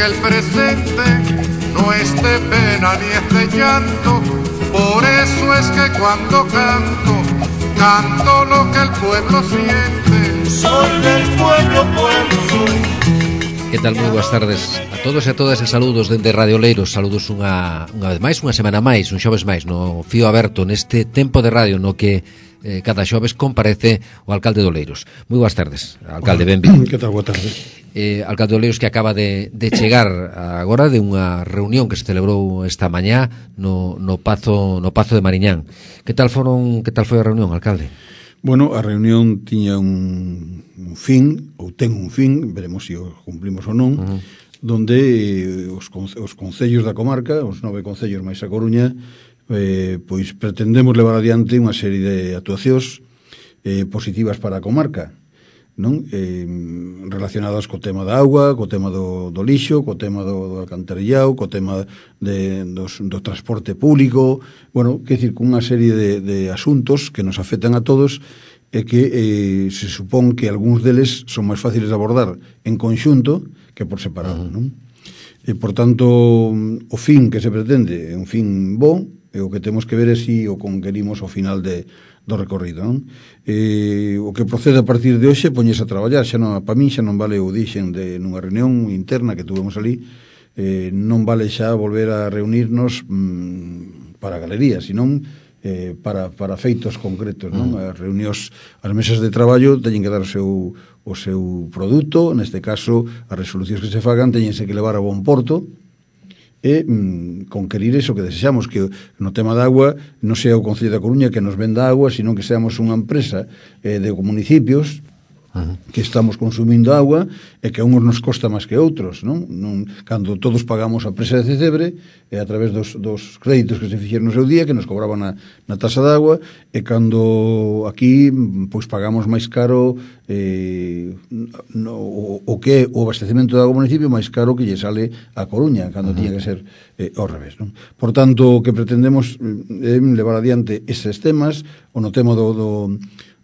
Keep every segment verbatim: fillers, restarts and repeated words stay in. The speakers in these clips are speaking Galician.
que el presente no es de pena ni es de llanto. Por eso es que cuando canto, canto lo que el pueblo siente. Soy del pueblo, pueblo soy. Que tal? Moi boas tardes a todos e a todas e saludos dende Radio Oleiros. Saludos unha, unha vez máis, unha semana máis, un xoves máis no Fío Aberto, neste tempo de radio no que eh, cada xoves comparece o alcalde de Oleiros. Moi boas tardes, alcalde, benvido. Que tal, boa tarde. Eh, alcalde de Oleiros que acaba de, de chegar agora de unha reunión que se celebrou esta mañá no, no Pazo no Pazo de Mariñán. Que tal foron, que tal foi a reunión, alcalde? Bueno, a reunión tiña un, un fin, ou ten un fin, veremos se o cumplimos ou non, uh-huh. donde eh, os, os concellos da comarca, os nove concellos máis a Coruña, eh, pois pretendemos levar adiante unha serie de actuacións eh, positivas para a comarca, non? Eh, relacionadas co tema da auga, co tema do, do lixo, co tema do, do alcantarillado, co tema de, dos, do transporte público, bueno, que decir, cunha serie de, de asuntos que nos afectan a todos e que eh, se supón que algúns deles son máis fáciles de abordar en conxunto que por separado, uh-huh. non? E, por tanto, o fin que se pretende é un fin bo, e o que temos que ver é si o conquerimos ao final de, do recorrido, non? E, o que procede a partir de hoxe poñese a traballar, xa non, para min xa non vale o dixen de nunha reunión interna que tuvemos ali, eh, non vale xa volver a reunirnos mmm, para galerías, senón eh, para, para feitos concretos, non? As reunións, as mesas de traballo teñen que dar o seu, o seu produto, neste caso as resolucións que se fagan teñense que levar a bon porto e mm, conquerir eso que desexamos, que no tema da agua non sea o Concello da Coruña que nos venda agua, sino que seamos unha empresa eh, de municipios uh-huh. que estamos consumindo agua e que a uns nos costa máis que outros, non? non cando todos pagamos a presa de Cedebre e a través dos, dos créditos que se fixeron no seu día, que nos cobraban na, na tasa de agua, e cando aquí pois pagamos máis caro eh, no, o, o que o abastecemento de agua ao municipio máis caro que lle sale a Coruña, cando uh-huh. tiña que ser eh, ao revés, non? Por tanto, o que pretendemos é eh, levar adiante eses temas, o no tema do, do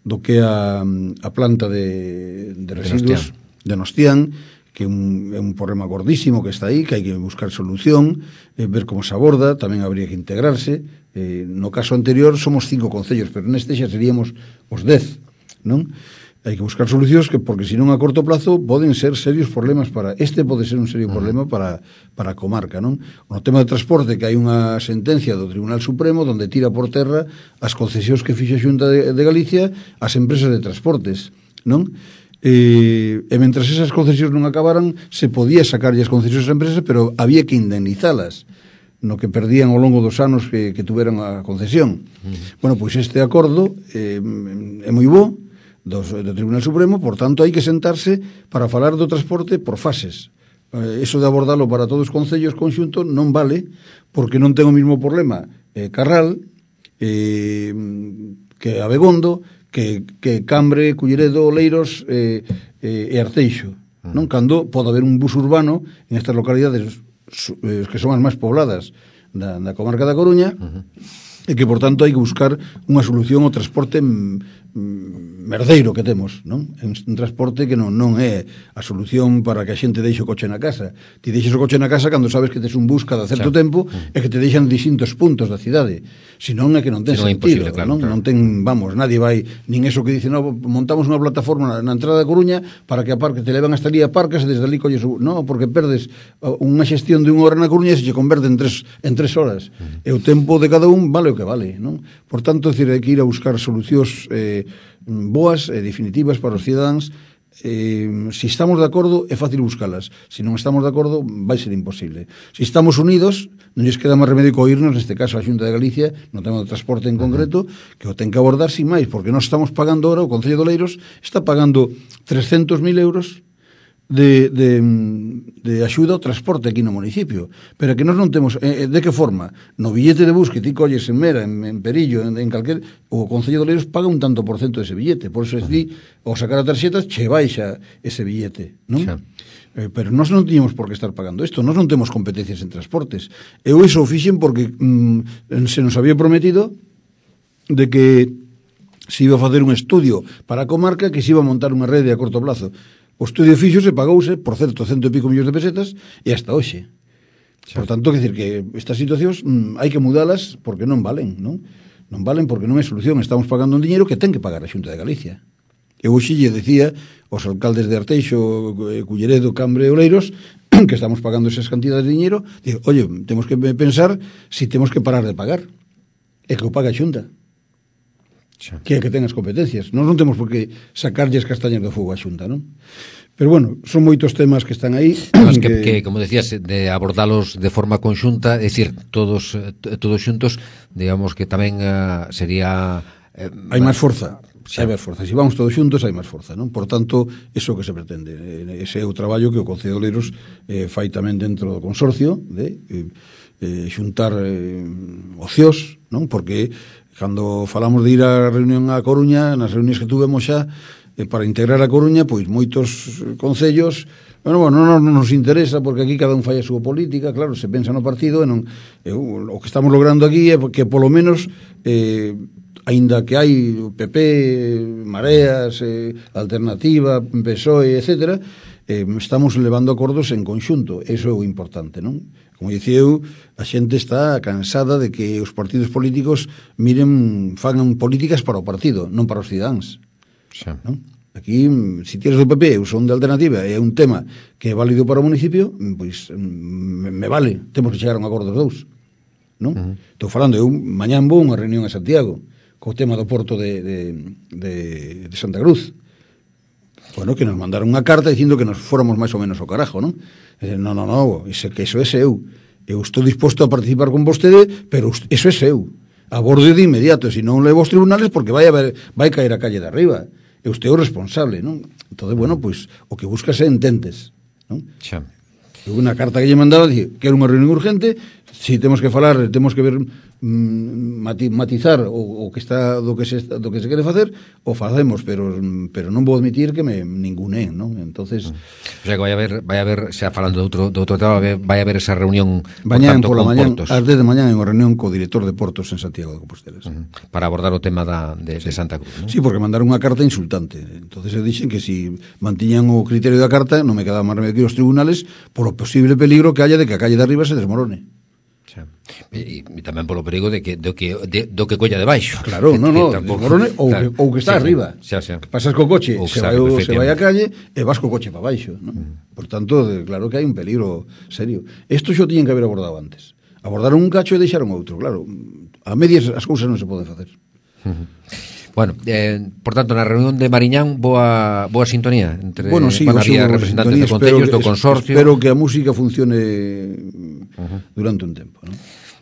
do que a, a planta de, de residuos de Nostián, que é un, é un problema gordísimo que está aí, que hai que buscar solución, eh, ver como se aborda, tamén habría que integrarse. Eh, no caso anterior somos cinco concellos, pero neste xa seríamos os dez, non? Hai que buscar solucións que, porque senón a corto plazo poden ser serios problemas para, este pode ser un serio problema para, para a comarca, non? No tema de transporte, que hai unha sentencia do Tribunal Supremo donde tira por terra as concesións que fixa a Xunta de, de Galicia ás empresas de transportes, non? E, e mentras esas concesións non acabaran, se podía sacarlle as concesións ás empresas, pero había que indemnizalas no que perdían ao longo dos anos que, que tuveran a concesión. Uh-huh. Bueno, pois este acordo eh, é moi bo, Do, do Tribunal Supremo, por tanto hai que sentarse para falar do transporte por fases. Eh, eso de abordarlo para todos os concellos conxuntos non vale, porque non ten o mismo problema eh, Carral eh, que Abegondo, que, que Cambre, Culleredo, Oleiros eh, eh, e Arteixo, uh-huh. non? Cando pode haber un bus urbano en estas localidades eh, que son as máis pobladas da, da comarca da Coruña, uh-huh. e que, por tanto, hai que buscar unha solución ao transporte merdeiro que temos, non? É un transporte que non, non é a solución para que a xente deixe o coche na casa. Ti deixes o coche na casa cando sabes que tes un bus cada certo claro. tempo mm. e que te deixan distintos puntos da cidade. Se non é que non ten si sentido, non, claro, non? Claro. Non ten, vamos, nadie vai, nin eso que dice, no, montamos unha plataforma na, na entrada da Coruña para que aparque, te levan hasta ali, aparcas e desde ali colles, no, porque perdes unha xestión de unha hora na Coruña e se che converte en tres, en tres horas. Mm. E o tempo de cada un vale o que vale, non? Por tanto, decir, hai que ir a buscar solucións eh, boas e definitivas para os cidadáns. Eh, se estamos de acordo é fácil buscalas, se non estamos de acordo vai ser imposible. Se estamos unidos non lles queda máis remedio que oírnos, neste caso a Xunta de Galicia no tema do transporte en concreto, que o ten que abordar sin máis, porque nós estamos pagando ahora, o Concello de Oleiros está pagando trescentos mil euros de, de, de axuda ao transporte aquí no municipio, pero que nós non temos, eh, de que forma? No billete de bus que ti colles en Mera, en, en Perillo, en, en calquer, o Concello de Oleiros paga un tanto por cento dese billete, por eso es di, ao sacar a tarxeta che baixa ese billete, non? Xa. Eh, pero nós non tiñamos por que estar pagando isto, nós non temos competencias en transportes. Eu iso o fixen porque mm, se nos había prometido de que se iba a facer un estudio para a comarca, que se iba a montar unha rede a corto plazo. O estudio fixo se pagouse, por certo, cento e pico millóns de pesetas, e hasta hoxe. Por tanto, que decir que estas situacións mm, hai que mudalas porque non valen, non? Non valen porque non é solución. Estamos pagando un diñeiro que ten que pagar a Xunta de Galicia. Eu hoxe lle decía aos alcaldes de Arteixo, Culleredo, Cambre e Oleiros que estamos pagando esas cantidades de diñeiro, digo, oye, temos que pensar si temos que parar de pagar. É que o paga a Xunta. Xa. Que é que ten as competencias. Nós non temos por que sacarlles castañas do fogo a Xunta, non? Pero bueno, son moitos temas que están aí. Mas que, que, como decías, de abordalos de forma conxunta, é dicir, todos todos xuntos, digamos que tamén uh, sería... Eh, hai máis forza. Xa. Hai máis forza. Se vamos todos xuntos, hai máis forza, non? Por tanto, iso que se pretende. Ese é o traballo que o Concello de Oleiros eh, fai tamén dentro do consorcio, de eh, eh, xuntar eh, ocios, non? Porque cando falamos de ir á reunión a Coruña, nas reunións que tuvemos xa, para integrar a Coruña, pois moitos concellos, bueno, bueno, non, non nos interesa porque aquí cada un fai a súa política, claro, se pensa no partido e non, e, o que estamos logrando aquí é que polo menos eh, aínda que hai P P, Mareas, eh, Alternativa, P S O E, etcétera, eh, estamos levando acordos en conxunto, eso é o importante, non? Como dicía eu, a xente está cansada de que os partidos políticos miren, fagan políticas para o partido, non para os cidadáns. Xa. ¿No? Aquí, se si tienes do P P, eu son de Alternativa, é un tema que é válido para o municipio, pois me, me vale, temos que chegar a un acordo dos dous, non? Uh-huh. Estou falando, eu mañán vou unha reunión a Santiago co tema do porto de, de, de, de Santa Cruz. Bueno, que nos mandaron unha carta dicindo que nos fóramos máis ou menos ao carajo, non? E, non, non, non, ese, que eso é seu. Eu estou disposto a participar con vostede, pero eso é seu. Abordo de inmediato, se non levo aos tribunales porque vai, a ver, vai caer a calle de arriba. E usted é o responsable, non? Entón, bueno, pois, o que buscas é ententes, non? Xa. Unha carta que lle mandaba, dice, que era unha reunión urgente, si temos que falar, temos que ver, mm, matizar o, o que está do que se do que se quere facer, o facemos, pero pero non vou admitir que me ningunen, non? Entonces, o sea, que vai haber vai haber, xa falando de outro de outro tema, vai haber esa reunión mañán pola mañán, ás dez de mañán en unha reunión co director de Portos en Santiago de Compostela. Uh-huh. Para abordar o tema da de, sí. de Santa Cruz, ¿no? Sí, porque mandaron unha carta insultante. Entonces se dixen que si mantiñan o criterio da carta, non me quedaba máis remedio que os tribunales por o posible peligro que haya de que a calle de arriba se desmorone. Xa. E, e tamén polo perigo de que do que de, do que colla de baixo. Claro, non, non, desmorone ou, claro, que, ou que está sí, arriba. Xa, xa. Que pasas co coche, se vai, se vai a calle e vas co coche para baixo, ¿no? Mm. Por tanto, de, claro que hai un peligro serio. Isto xo tiñen que haber abordado antes. Abordaron un cacho e deixaron outro, claro. A medias as cousas non se poden facer. Uh-huh. Bueno, eh, por tanto, na reunión de Mariñán, boa boa sintonía entre bueno, sí, bueno, había representantes de concellos, do consorcio. Espero que a música funcione uh-huh. durante un tempo, ¿no?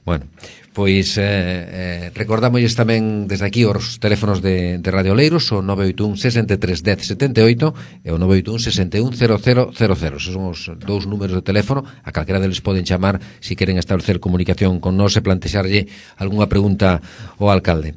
Bueno, pois eh, eh, recordamosles tamén desde aquí os teléfonos de, de Radio Oleiros, o nove oito un, sesenta e tres, dez, setenta e oito e o nove oito un, sesenta e un, cero cero cero cero. Esos son os dous números de teléfono, a calquera deles poden chamar se si queren establecer comunicación con nós e plantexarlle algunha pregunta ao alcalde.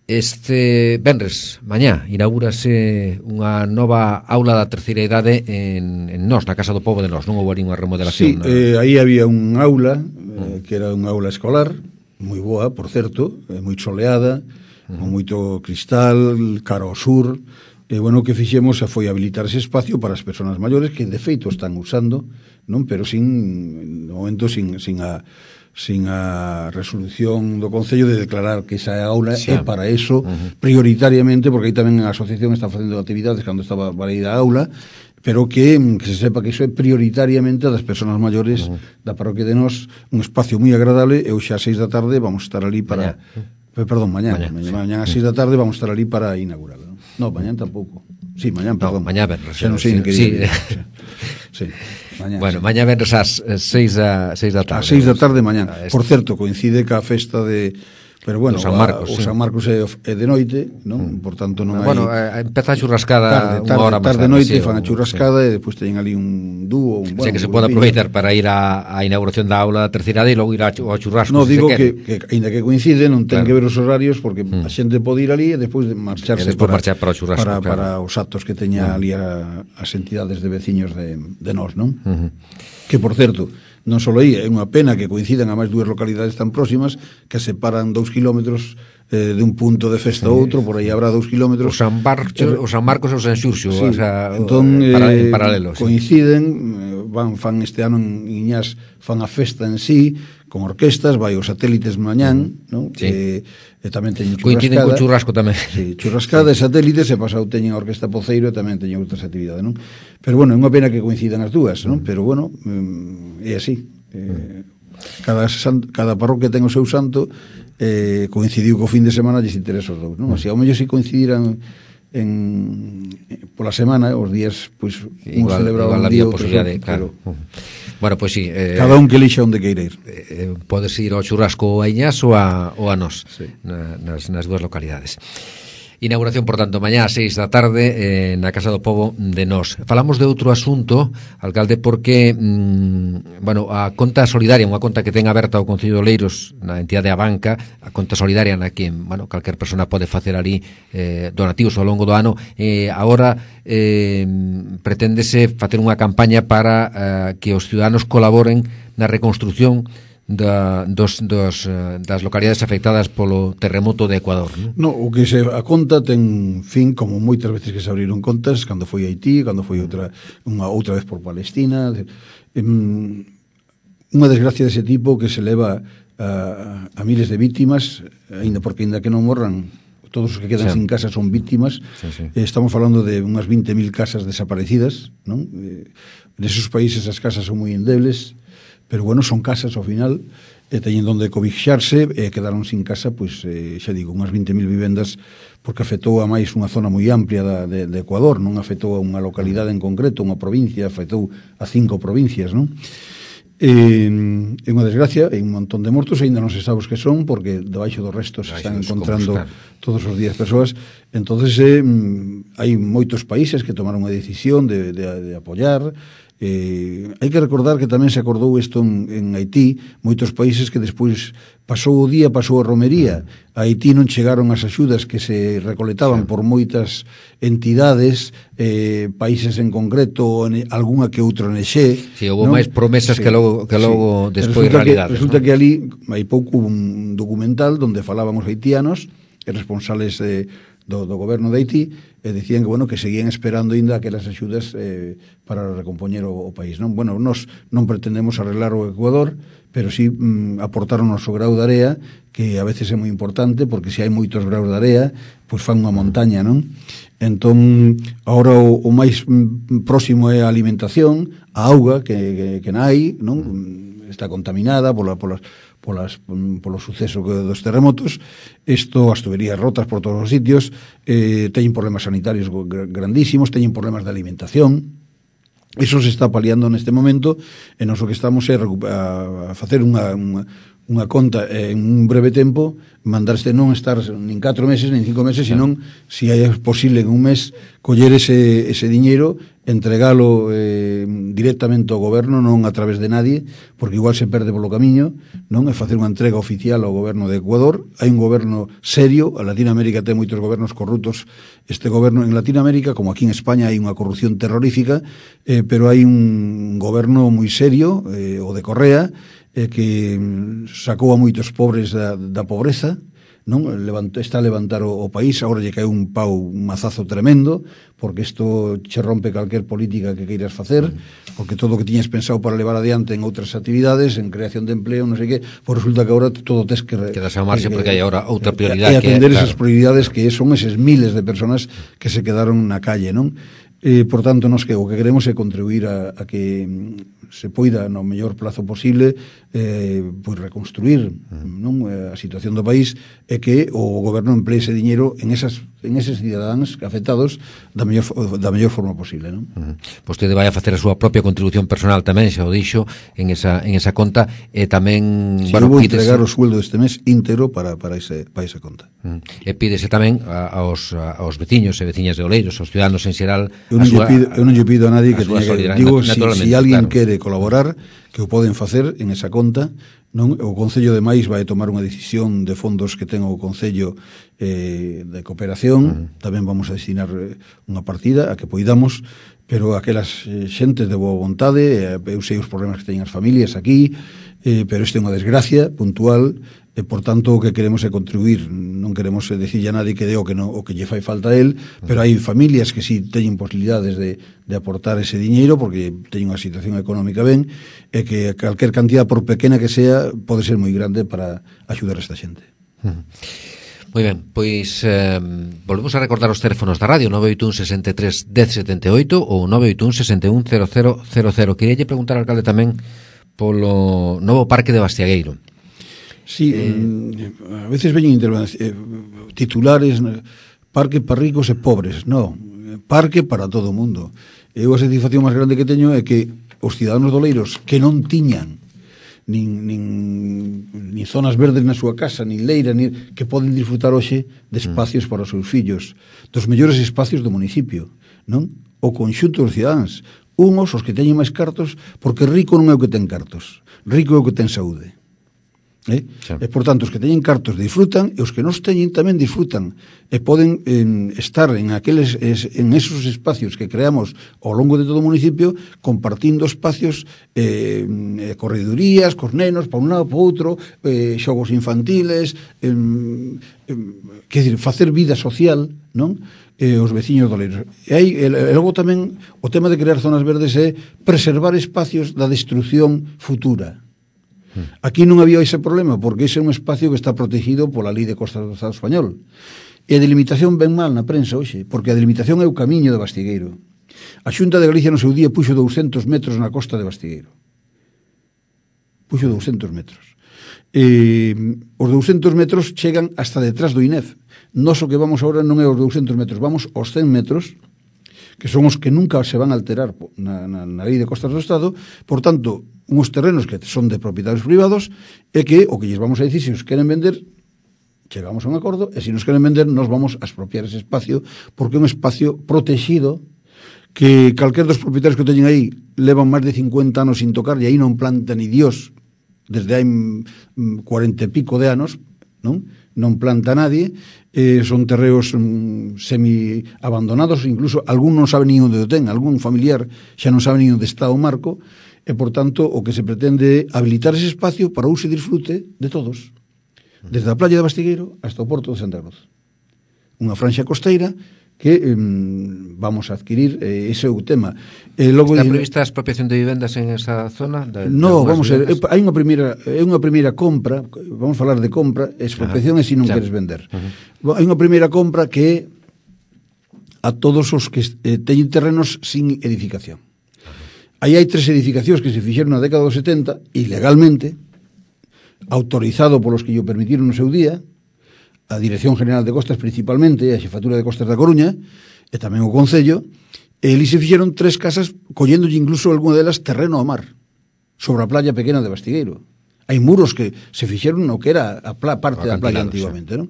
Este venres, mañá, inaugúrase unha nova aula da terceira idade en, en Nós, na Casa do Pobo de Nós. Non houve unha remodelación? Sí, no? eh, aí había un aula, eh, que era unha aula escolar, moi boa, por certo, eh, moi soleada, uh-huh. con moito cristal, cara ao sur, e, bueno, o que fixemos foi habilitar ese espacio para as persoas maiores que, de feito, están usando, non? Pero sin, no momento, sin, sin a... sin a resolución do Concello de declarar que esa aula sí. é para eso, uh-huh. prioritariamente, porque aí tamén a asociación está facendo actividades cando estaba para ir a aula, pero que, que se sepa que iso é prioritariamente das persoas maiores uh-huh. da parroquia de Nós, un espacio moi agradable, e hoxe ás seis da tarde vamos estar ali para... Mañá. Perdón, mañán, mañán, mañán, sí. mañán ás seis da tarde vamos estar ali para inaugurar. Non, no, mañán tampouco. Sí, mañán, perdón. No, mañá vernos. Xa non sei ni que sí. sí. sí. Mañá, bueno, sí. mañá vernos ás seis da tarde. Ás seis da tarde mañán. Por certo, coincide ca festa de... Pero bueno, o San Marcos, a, o sí. San Marcos é, é de noite, non? Mm. Por tanto non hai... Bueno, eh, empeza a churrascada tarde, unha hora máis tarde, tarde. noite, Sí, fan a churrascada sí. e despois teñen ali un dúo, un... O sea, bueno, que se pode aproveitar para ir á inauguración da aula da terceira e logo ir ao churrasco. No, si digo que, que, ainda que coincide, non ten claro. que ver os horarios, porque mm. a xente pode ir ali e despois de marcharse e despois para, marchar para o churrasco. Para, claro. para os actos que teña mm. ali a, as entidades de veciños de, de Nós, non? Mm-hmm. Que, por certo, non só aí, é unha pena que coincidan a máis dúas localidades tan próximas que separan dous kilómetros eh, de un punto de festa a outro, por aí habrá dous kilómetros. O San Marcos, o San Marcos e o San Xurxo, sí, o sea, entón, para, eh, en paralelo. Coinciden, sí. Van, fan este ano en Iñás, fan a festa en sí, con orquestas, vai os satélites mañán, uh-huh. non? Sí. E, e tamén teñen churrascada. Coinciden con churrasco tamén. Sí, churrascada sí. E satélites, e pasado teñen a orquesta Poceiro e tamén teñen outras actividades, non? Pero bueno, é unha pena que coincidan as dúas, non? Uh-huh. Pero bueno, é así. Eh, cada, san, cada parroquia ten o seu santo, eh, coincidiu co fin de semana, lles interesa os dous, non? Así, ao mellor se coincidiran en pola semana, os días, pois, un celebraba un día, outro, claro. Uh-huh. Bueno, pois pues, sí, eh, cada un que elixa onde queira ir. Eh, podes ir ao churrasco a Iñás ou a, ou a nós, sí. na, nas, nas dúas localidades. Inauguración, por tanto, mañá a seis da tarde eh, na Casa do Pobo de Nós. Falamos de outro asunto, alcalde, porque mmm, bueno, a conta solidaria, unha conta que ten aberta o Concello de Oleiros na entidade A Banca, a conta solidaria na que, bueno, calquer persona pode facer ali eh, donativos ao longo do ano, eh, agora eh, preténdese facer unha campaña para eh, que os ciudadanos colaboren na reconstrucción Da, dos, dos, das localidades afectadas polo terremoto de Ecuador, non? No, o que se a conta ten fin, como moitas veces que se abriron contas, cando foi Haití, cando foi outra unha outra vez por Palestina, um, unha desgracia dese tipo que se leva a, a miles de vítimas, aínda porque aínda que non morran, todos os que quedan sí. sin casa son vítimas. Sí, sí. Eh, estamos falando de unhas veinte mil casas desaparecidas, non? Eh, neses países as casas son moi endebles, pero bueno, son casas ao final, e teñen donde cobixarse, e quedaron sin casa, pois, eh, xa digo, unhas veinte mil vivendas, porque afectou a máis unha zona moi amplia da, de, de Ecuador, non afectou a unha localidade en concreto, unha provincia, afectou a cinco provincias, non? É unha desgracia, hai un montón de mortos, ainda non se sabe os que son, porque debaixo dos restos se están encontrando todos os días persoas. Entonces eh, hai moitos países que tomaron a decisión de, de, de apoiar. Eh, hai que recordar que tamén se acordou isto en, en Haití, moitos países que despois pasou o día, pasou a romería. A Haití non chegaron as axudas que se recolectaban sí. por moitas entidades, eh, países en concreto, en, algunha que outra N X. Si, sí, houve máis promesas sí. que logo, que logo sí. despois realidades. Resulta ¿no? que ali hai pouco un documental onde falaban os haitianos e responsables de Do, do goberno de Haití, e dicían que, bueno, que seguían esperando ainda aquelas axudas eh, para recompoñer o, o país, non? Bueno, nós non pretendemos arreglar o Ecuador, pero sí mm, aportar o noso grau de area, que a veces é moi importante, porque se hai moitos graus de area, pois fan unha montaña, non? Entón, agora o, o máis mm, próximo é a alimentación, a auga que, que, que nai, non? Está contaminada pola, polas polas, polo suceso dos terremotos. Isto, as tuberías rotas por todos os sitios, eh, teñen problemas sanitarios grandísimos, teñen problemas de alimentación. Iso se está paliando neste momento, e nos o que estamos é a, a facer unha, unha, unha conta en un breve tempo, mandarse non estar nin catro meses, nin cinco meses, senón, se é posible en un mes, coller ese, ese diñeiro, entregalo eh, directamente ao goberno, non a través de nadie, porque igual se perde polo camiño, non? É facer unha entrega oficial ao goberno de Ecuador. Hai un goberno serio, a Latinoamérica ten moitos gobernos corruptos. Este goberno en Latinoamérica, como aquí en España, hai unha corrupción terrorífica, eh, pero hai un goberno moi serio, eh, o de Correa, eh, que sacou a moitos pobres da, da pobreza, non? Levanto, está a levantar o, o país. Agora lle cae un pau, un mazazo tremendo, porque isto che rompe calquer política que queiras facer, porque todo o que tiñas pensado para levar adiante en outras actividades, en creación de empleo, non sei que, pois resulta que agora todo tes que... Quedas a marxe porque hai agora outra prioridade. E atender que, esas claro. prioridades que son eses miles de personas que se quedaron na calle, non? Eh, por tanto, nos que o que queremos é contribuir a, a que se poida no mellor plazo posible eh, pois reconstruir non a situación do país, e que o goberno emplee ese diñeiro en esas en eses cidadáns afectados da mellor da mellor forma posible, non? Uh-huh. Vostede vai a facer a súa propia contribución personal tamén, xa o dixo, en esa en esa conta, e tamén, si, bueno, vou pídese... entregar o sueldo deste mes íntegro para para ese para esa conta. Uh-huh. E pídese tamén a, aos a, aos veciños e veciñas de Oleiros, aos ciudadanos en xeral. Eu non, súa, pido, eu non lle pido a nadie que teña que, digo, si, si alguén claro. quere colaborar, que o poden facer en esa conta, non? O Concello de Mais vai tomar unha decisión de fondos que ten o Concello eh, de cooperación, uh-huh. tamén vamos a destinar unha partida a que poidamos, pero aquelas eh, xentes de boa vontade, eh, eu sei os problemas que teñen as familias aquí, eh, pero isto é unha desgracia puntual, e por tanto o que queremos é contribuir, non queremos decirle a nadie que dé o que, no, o que lle fai falta a él, pero hai familias que si sí teñen posibilidades de, de aportar ese diñeiro porque teñen unha situación económica ben, e que calquer cantidad, por pequena que sea, pode ser moi grande para axudar a esta xente. Moi ben, pois eh, volvemos a recordar os teléfonos da radio, nove oito un, sesenta e tres, dez setenta e oito ou nove oito un, sesenta e un, cero cero cero cero. Quería lle preguntar ao alcalde tamén polo novo parque de Bastiagueiro. Sí, eh, a veces veñen eh, titulares, parque para ricos e pobres. No, parque para todo o mundo. E a satisfacción máis grande que teño é que os ciudadanos doleiros que non tiñan nin, nin, nin zonas verdes na súa casa, nin leira, nin, que poden disfrutar hoxe de espacios para os seus fillos, dos mellores espacios do municipio, non? O conxunto dos cidadáns, unhos os que teñen máis cartos, porque rico non é o que ten cartos, rico é o que ten saúde. Eh? Sí. E, por tanto, os que teñen cartos disfrutan e os que non teñen tamén disfrutan e poden eh, estar en aqueles es, en esos espacios que creamos ao longo de todo o municipio compartindo espacios eh, corredurías, cos nenos para un lado, para outro, eh, xogos infantiles, eh, eh, que decir, facer vida social, non? Eh, os veciños doleiros. E aí, e, e logo tamén o tema de crear zonas verdes é preservar espacios da destrucción futura. Aquí non había ese problema porque ese é un espacio que está protegido pola Lei de Costas do Estado español. E a delimitación ven mal na prensa hoxe, porque a delimitación é o camiño de Bastigueiro. A Xunta de Galicia no seu día puxo douscentos metros na costa de Bastigueiro. Puxo douscentos metros. E, os douscentos metros chegan hasta detrás do I N E F. Nos o que vamos agora non é os douscentos metros, vamos aos cen metros, que son os que nunca se van a alterar na, na, na Lei de Costas do Estado. Por tanto, uns terrenos que son de propietarios privados e que o que lles vamos a dicir, se os queren vender, chegamos a un acordo, e se nos queren vender, nos vamos a expropiar ese espacio, porque é un espacio protegido que calquer dos propietarios que teñen aí levan máis de cincuenta anos sin tocar, e aí non planta ni Dios desde hai cuarenta e pico de anos, non? Non planta nadie, eh, son terreos mm, semi-abandonados, incluso algún non sabe ni onde o ten, algún familiar xa non sabe ni onde está o marco, e, por tanto, o que se pretende é habilitar ese espacio para uso e disfrute de todos, desde a playa de Bastigueiro hasta o porto de Santa Cruz. Unha franxa costeira que eh, vamos a adquirir, eh, ese é o tema. Eh, logo Está prevista a expropiación de vivendas en esa zona? De, no, vamos a ver, hai unha primeira, é unha primeira compra, vamos a falar de compra, expropiación é se non queres vender. Uh-huh. Hai unha primeira compra que é a todos os que eh, teñen terrenos sin edificación. Aí hai tres edificacións que se fixeron na década dos setenta, ilegalmente, autorizado polos que lle permitiron no seu día, a Dirección General de Costas principalmente, a Xefatura de Costas da Coruña, e tamén o Concello, e eles se fixeron tres casas, colléndolle incluso algunha delas terreno ao mar, sobre a playa pequena de Bastigueiro. Hai muros que se fixeron no que era a pla, parte da playa antigamente, non?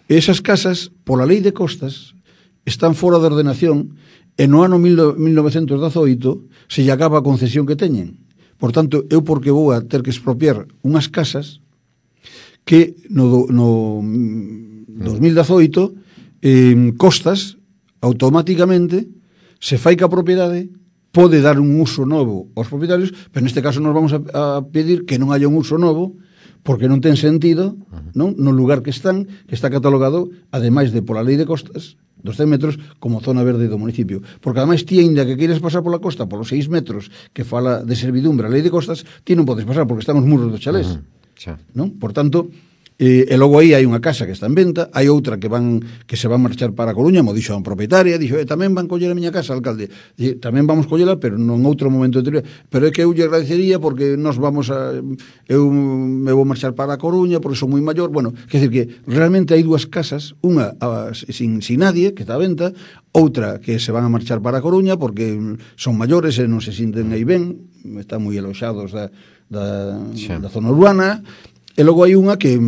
E esas casas, pola Lei de Costas, están fora de ordenación, e no ano mil novecentos dezoito se lle acaba a concesión que teñen. Por tanto, eu porque vou a ter que expropiar unhas casas que no, no dos mil dezoito eh, Costas automáticamente se fai que a propiedade pode dar un uso novo aos propietarios, pero neste caso nos vamos a, a pedir que non haya un uso novo porque non ten sentido, non, no lugar que están, que está catalogado, ademais de pola Lei de Costas dos cen metros, como zona verde do municipio. Porque ademais ti, ainda que queires pasar pola costa polos seis metros que fala de servidumbre a Lei de Costas, ti non podes pasar porque están os muros dos chalés. Uh-huh. Non? Por tanto, eh, e logo aí hai unha casa que está en venta, hai outra que van que se va a marchar para a Coruña, mo dixo a propietaria, dixo, eh, tamén van coller a miña casa, alcalde. Dixo, tamén vamos collela, pero non outro momento anterior. Pero é que eu lle agradecería porque nos vamos a eu me vou marchar para a Coruña porque sou moi maior. Bueno, quer dizer que realmente hai dúas casas, unha a, sin, sin nadie, que está a venta, outra que se van a marchar para a Coruña porque son maiores e non se sinten aí ben, están moi aloxados da, da, da zona urbana. E logo hai unha que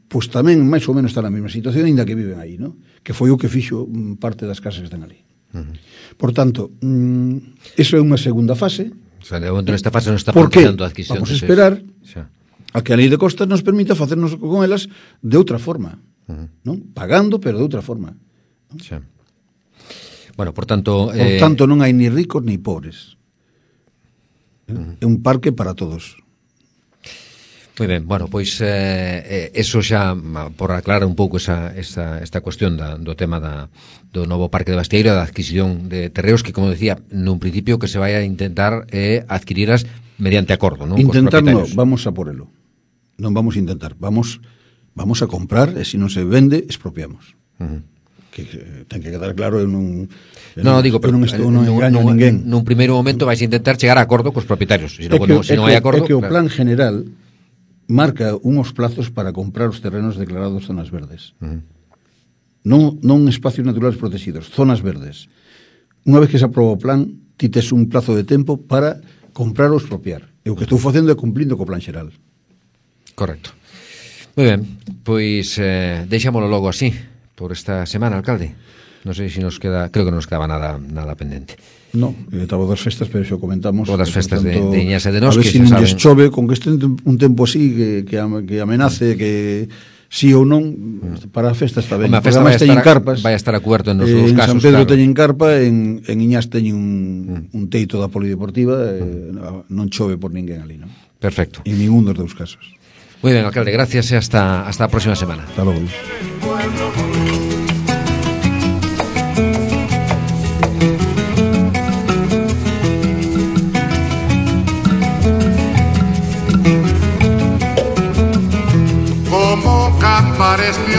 pois tamén máis ou menos está na mesma situación, ainda que viven aí, ¿no? Que foi o que fixo parte das casas que están ali. Uh-huh. Por tanto, mm, eso é unha segunda fase. O sea, de momento nesta fase non está planteando a adquisición. Vamos a esperar xa. A que a Lei de Costas nos permita facernos con elas de outra forma, uh-huh. ¿no? Pagando, pero de outra forma, ¿no? Xa. Bueno, por tanto... Por eh... tanto, non hai ni ricos ni pobres. Uh-huh. É un parque para todos. Moi ben, bueno, pois eh, eso xa por aclarar un pouco esa, esa, esta cuestión da, do tema da, do novo Parque de Basteiro, da adquisición de terreos que, como decía, nun principio que se vai a intentar eh, adquiriras mediante acordo, non? Intentarlo, vamos a por elo. Non vamos a intentar, vamos vamos a comprar e se non se vende, expropiamos. Uh-huh. Que eh, ten que quedar claro en un No, digo, pero non estou non engaño a ninguén. Nun primeiro momento vais a intentar chegar a acordo cos propietarios, se non no, si non hai acordo. É que o plan general marca unhos plazos para comprar os terrenos declarados zonas verdes. Uh-huh. Non, non espacios naturales protegidos, zonas verdes. Unha vez que se aproba o plan, ti tes un plazo de tempo para comprar ou expropiar. E o que estou facendo é cumplindo co plan xeral. Correcto. Moi ben, pois eh, deixámoslo logo así por esta semana, alcalde. Non sei se nos queda, creo que non nos quedaba nada nada pendente. No, estaba das festas, pero xo comentamos. O das festas tanto, de, de Iñas e de Nos, a ver que se si non chove, con que este un tempo así, que, que, que amenace, que sí ou non, para a festa está ben. A festa vai a, estar, carpas, vai a estar a cuberto en nos dous eh, casos. En San Pedro claro. teñen carpa, en, en Iñas teñen un, un teito da polideportiva, eh, non chove por ninguén ali, non? Perfecto. En ningún dos dous casos. Moi ben, alcalde, gracias e hasta, hasta a próxima semana. Hasta logo. Como cantar es mi